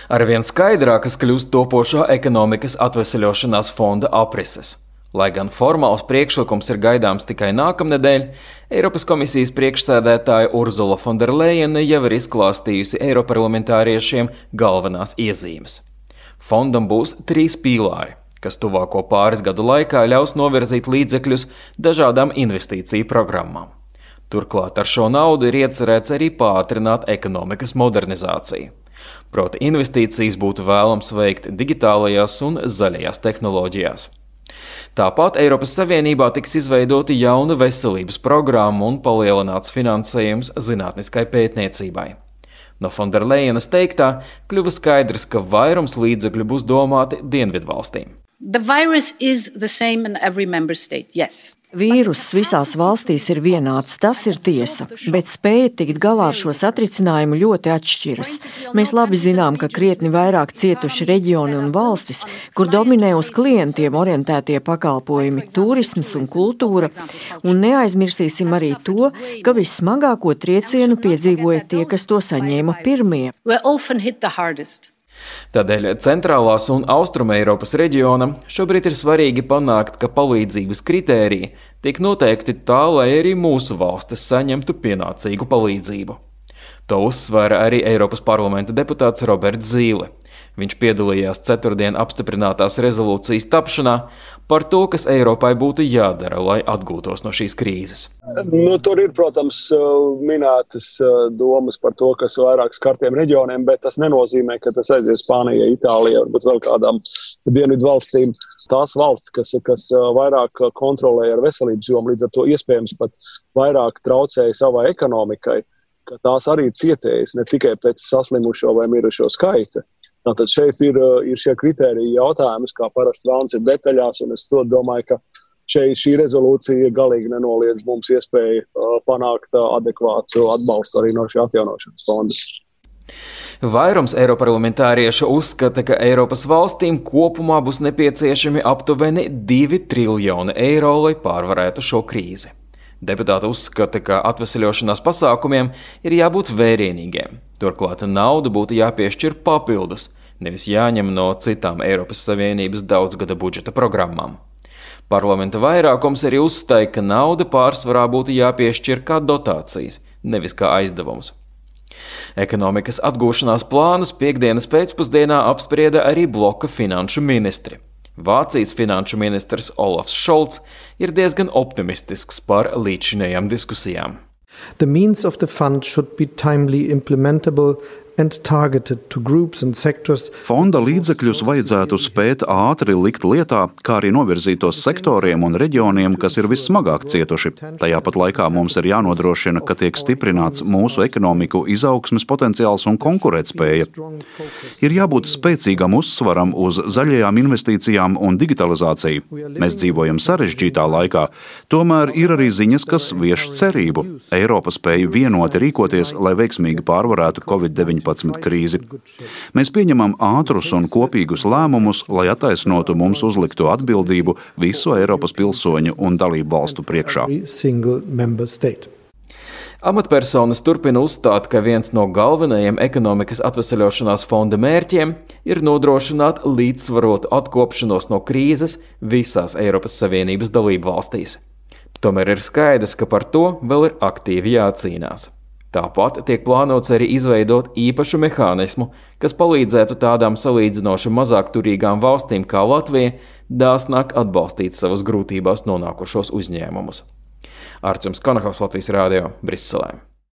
Arvien skaidrākas kļūst topošā ekonomikas atveseļošanās fonda aprises. Lai gan formāls priekšlikums ir gaidāms tikai nākamnedēļ, Eiropas komisijas priekšsēdētāja Urzula Fonderlejene jau ir izklāstījusi eiroparlamentāriešiem galvenās iezīmes. Fondam būs 3 pīlāri, kas tuvāko pāris gadu laikā ļaus novirzīt līdzekļus dažādām investīciju programmām. Turklāt ar šo naudu ir iecerēts arī pātrināt ekonomikas modernizāciju. Proti investīcijas būtu vēlams veikt digitālajās un zaļajās tehnoloģijās. Tāpat Eiropas Savienībā tiks izveidota jauna veselības programma un palielināts finansējums zinātniskai pētniecībai. No Fonderlejenes teiktā kļuva skaidrs, ka vairums līdzekļu būs domāti dienvidvalstīm. The virus is the same in every member state, yes. Vīruss visās valstīs ir vienāds, tas ir tiesa, bet spēja tikt galā ar šo satricinājumu ļoti atšķiras. Mēs labi zinām, ka krietni vairāk cietuši reģioni un valstis, kur dominē uz klientiem orientētie pakalpojumi, turisms un kultūra, un neaizmirsīsim arī to, ka vissmagāko triecienu piedzīvoja tie, kas to saņēma pirmie. Tādēļ centrālās un austruma Eiropas reģionam šobrīd ir svarīgi panākt, ka palīdzības kritēriji tiek noteikti tā, lai arī mūsu valstis saņemtu pienācīgu palīdzību. To uzsvēra arī Eiropas parlamenta deputāts Roberts Zīle. Viņš piedalījās ceturtdien apstiprinātās rezolūcijas tapšanā par to, kas Eiropai būtu jādara, lai atgūtos no šīs krīzes. Tur ir, protams, minētas domas par to, kas vairāk skartiem reģioniem, bet tas nenozīmē, ka tas aizies Spānijai, Itālijai, varbūt vēl kādām dienvidu valstīm. Tās valsts, kas vairāk kontrolē ar veselības jomu, līdz ar to iespējams pat vairāk traucēja savai ekonomikai, ka tās arī cietējas ne tikai pēc saslimušo vai mirušo skaita. Tātad šeit ir šie kritēriji jautājums, kā parasti vēlams ir detaļās, un es domāju, ka šī rezolūcija galīgi nenoliedz mums iespēju panākt adekvātu atbalstu arī no šī atjaunošanas fonda. Vairums eiroparlamentāriešu uzskata, ka Eiropas valstīm kopumā būs nepieciešami aptuveni 2 triljoni eiro, lai pārvarētu šo krīzi. Deputāti uzskata, ka atveseļošanās pasākumiem ir jābūt vērienīgiem. Turklāt naudu būtu jāpiešķir papildus, nevis jāņem no citām Eiropas Savienības daudzgada budžeta programmām. Parlamenta vairākums arī uzstāja, ka nauda pārsvarā būtu jāpiešķir kā dotācijas, nevis kā aizdevums. Ekonomikas atgūšanās plānus piektdienas pēcpusdienā apsprieda arī bloka finanšu ministri. Vācijas finanšu ministrs Olafs Šolts ir diezgan optimistisks par līdzinējām diskusijām. The means of the fund should be timely implementable and targeted to groups and sectors. Fonda līdzekļus vajadzētu spēt ātri likt lietā, kā arī novirzītos sektoriem un reģioniem, kas ir vissmagāk cietuši. Tajā pat laikā mums ir jānodrošina, ka tiek stiprināts mūsu ekonomiku izaugsmes potenciāls un konkurētspēja. Ir jābūt spēcīgam uzsvaram uz zaļajām investīcijām un digitalizāciju. Mēs dzīvojam sarežģītā laikā, tomēr ir arī ziņas, kas vieš cerību. Eiropa spēja vienoti rīkoties, lai veiksmīgi pārvarētu Covid-19 krīzi. Mēs pieņemam ātrus un kopīgus lēmumus, lai attaisnotu mums uzlikto atbildību visu Eiropas pilsoņu un dalību valstu priekšā. Amatpersonas turpina uzstāt, ka viens no galvenajiem ekonomikas atveseļošanās fonda mērķiem ir nodrošināt līdzsvarotu atkopšanos no krīzes visās Eiropas Savienības dalību valstīs. Tomēr ir skaidrs, ka par to vēl ir aktīvi jācīnās. Tāpat tiek plānots arī izveidot īpašu mehānismu, kas palīdzētu tādām salīdzinoši mazāk turīgām valstīm kā Latvija dāsnāk atbalstīt savas grūtībās nonākušos uzņēmumus. Arčuns Konahaus, Latvijas Rādio, Briselē.